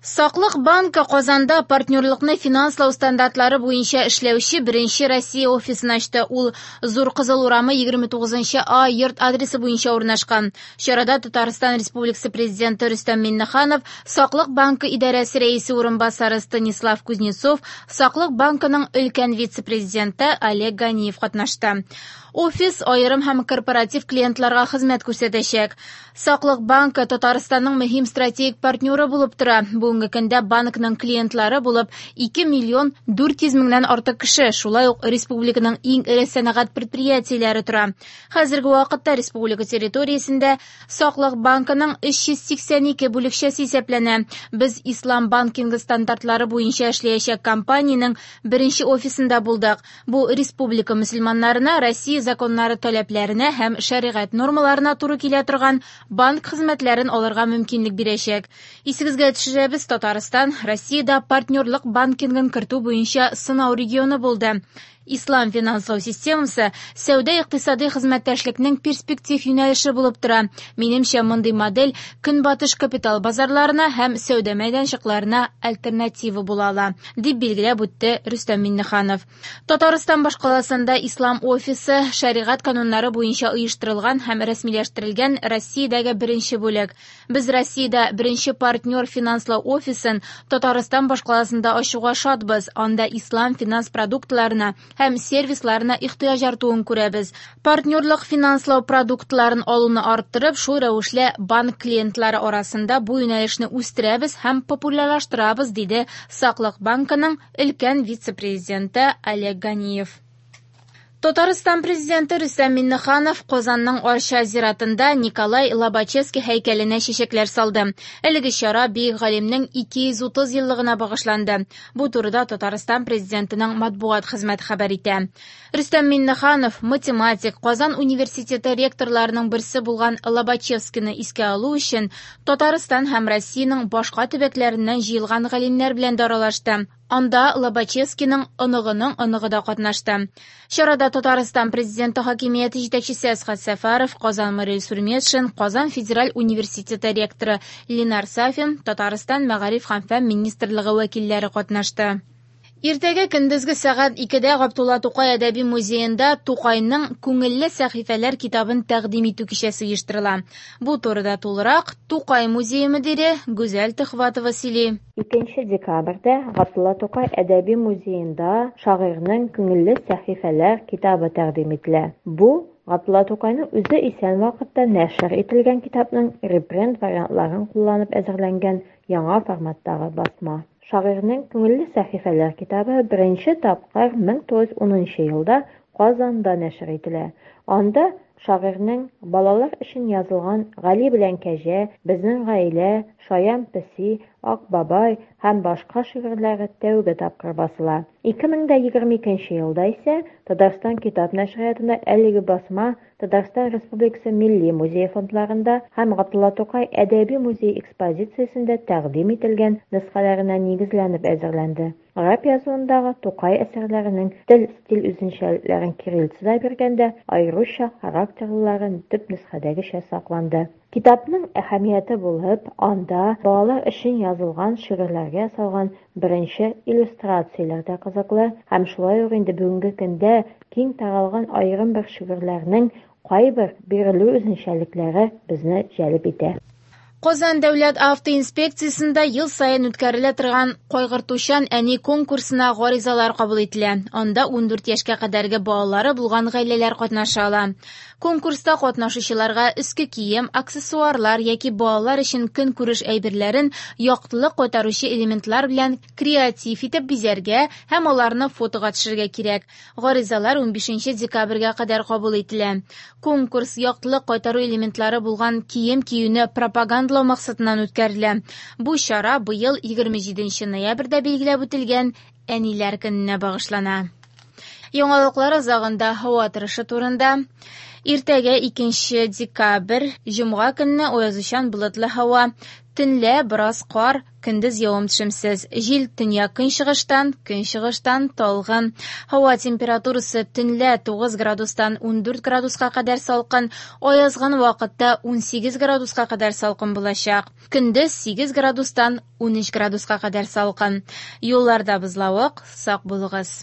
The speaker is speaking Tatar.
Саклык банкы Казанда партнерлыкны финанслау стандартлары буенча эшләүче беренче Россия офисын ачты. Ул Зур Кызыл урамы 29 А йорт адресы буенча урнашкан. Чарада Татарстан Республикасы Президенты Рөстәм Миңнеханов, Саклык банкы идарәсе рәисе урынбасары Станислав Кузнецов, Саклык банкының өлкән вице-президенты Олег Ганиев катнашты. Офис аерым һәм корпоратив клиентларга хезмәт күрсәтәчәк. Саклык банкы Татарстанның мөһим стратегик партнеры булып тора. Бүгенге көндә банкның клиентлары булып 2 миллион 400 меңнән артык кеше, шулай ук республиканың иң эре сәнәгать предприятиеләре тора. Хәзерге вакытта республика территориясендә Саклык банкының 382 бүлекчәсе исәпләнә. Без ислам банкингы стандартлары буенча эшләячәк компаниянең беренче офисында булдык. Бу республика мөселманнарына Россия законнары таләпләренә һәм шәригать нормаларына туры килә торган банк хезмәтләрен алырга мөмкинлек бирәчәк. Исегезгә төшерәбез, Татарстан Россиядә партнерлык банкингын кертү буенча сынау регионы булды. Ислам финанслау системасы сәүдә-икътисадый хезмәттәшлекнең перспектив юнәлеше булып тора. Минемчә, мондый модель Көнбатыш капитал базарларына һәм сәүдә мәйданчыкларына альтернатива була ала, дип билгеләп үтте Рөстәм Миңнеханов. Татарстан башкаласында Ислам офисы шәригать кануннары буенча оештырылган һәм рәсмиләштерелгән Россиядәге беренче бүлек. Без Россиядә беренче партнер финанслау офисын Татарстан башкаласында ачуга шатбыз, анда ислам финанс продуктларына һәм сервисларына ихтыяҗ артуын күрәбез. Партнерлык финанслау продуктларын алуны арттырып, шул рәвешле банк клиентлары арасында бу юнәлешне үстерәбез һәм популярлаштырабыз, диде Саклык банкының өлкән вице-президенты Олег Ганиев. Татарстан Президенты Рөстәм Миңнеханов Казанның Арча зиратында Николай Лобачевский һәйкәленә чәчәкләр салды. Әлеге чара бөек галимнең 230 еллыгына багышланды. Бу турыда Татарстан Президентының матбугат хезмәте хәбәр итә. Рөстәм Миңнеханов математик, Казан университеты ректорларының берсе булган Лобачевскийны искә алу өчен Татарстан һәм Россиянең башка төбәкләреннән җыелган галимнәр белән дә аралашты. Анда Лобачевскийның оныгының оныгы да катнашты. Чарада Татарстан Президенты хакимияте җитәкчесе Әсхәт Сәфәров, Казан мэры Илсур Метшин, Казан федераль университеты ректоры Ленар Сафин, Татарстан мәгариф һәм фән министрлыгы вәкилләре катнашты. Иртәгә көндезге сәгать 2дә Габдулла Тукай әдәби музеенда Тукайның Күңелле сәхифәләр китабын тәкъдим итү кичәсе оештырыла. Бу турыда тулырак Тукай музее мөдире Гүзәл Төхватова сөйли. 2 декабрьдә Габдулла Тукай әдәби музеенда шагыйрьнең Күңелле сәхифәләр китабы тәкъдим ителә. Бу Габдулла Тукайның үзе исән вакытта нәшер ителгән китапның репринт вариантларын кулланып әзерләнгән яңа форматтагы басма. Шагыйрьнең Күңелле сәхифәләр китабы беренче тапкыр 1910 елда Казанда нәшер ителә. Анда шагыйрьнең балалар өчен язылган Гали белән Кәҗә, Безнең гаилә, Шаян песи, Ак бабай һәм башка шигырьләре тәүге тапкыр басыла. 2022 елда исә Татарстан китап нәшриятында әлеге басма Татарстан Республикасы Милли музее фондларында һәм Габдулла Тукай әдәби музей экспозициясендә тәкъдим ителгән нөсхәләренә нигезләнеп әзерләнде. Гарәп язуындагы Тукай әсәрләренең тел-стиль үзенчәлекләрен кириллицада биргәндә, аеруча характерлылары төп нөсхәдәгечә сакланды. Китапның әһәмияте булып, анда балалар өчен язылган шигырьләргә ясалган беренче иллюстрацияләр дә кызыклы һәм шулай ук инде бүгенге көндә киң таралган аерым бер шигырьләрнең кайбер бирелү үзенчәлекләре безне җәлеп итә. Казан дәүләт автоинспекциясендә ел саен үткәрелә торган Кайгыртучан әни конкурсына гаризалар кабул ителә. Анда 14 яшькә кадәрге балалары булган гаиләләр катнаша ала. Конкурста катнашучыларга өске кием, аксессуарлар яки балалар өчен көнкүреш әйберләрен яктылык кайтаручы элементлар белән креатив итеп бизәргә һәм аларны фотога төшерергә кирәк. Гаризалар 15 декабрьгә кадәр кабул ителә. Конкурс яктылык кайтару элементлары булган кием киюне пропагандалау максатыннан үткәрелә. Бу чара быел 27 ноябрьдә билгеләп үтелгән Әниләр көненә багышлана. Яңалыклар азагында һава торышы турында. Иртәгә 2 декабрь, җомга көнне аязучан болытлы һава. Төнлә бераз кар, көндез явым-төшемсез. Җил төньяк-көнчыгыштан, көнчыгыштан талгын. Һава температурасы төнлә 9 градустан 14 градуска кадәр салкын, аязган вакытта 18 градуска кадәр салкын булачак. Көндез 8 градустан 13 градуска кадәр салкын. Юлларда бозлавык, сак булыгыз.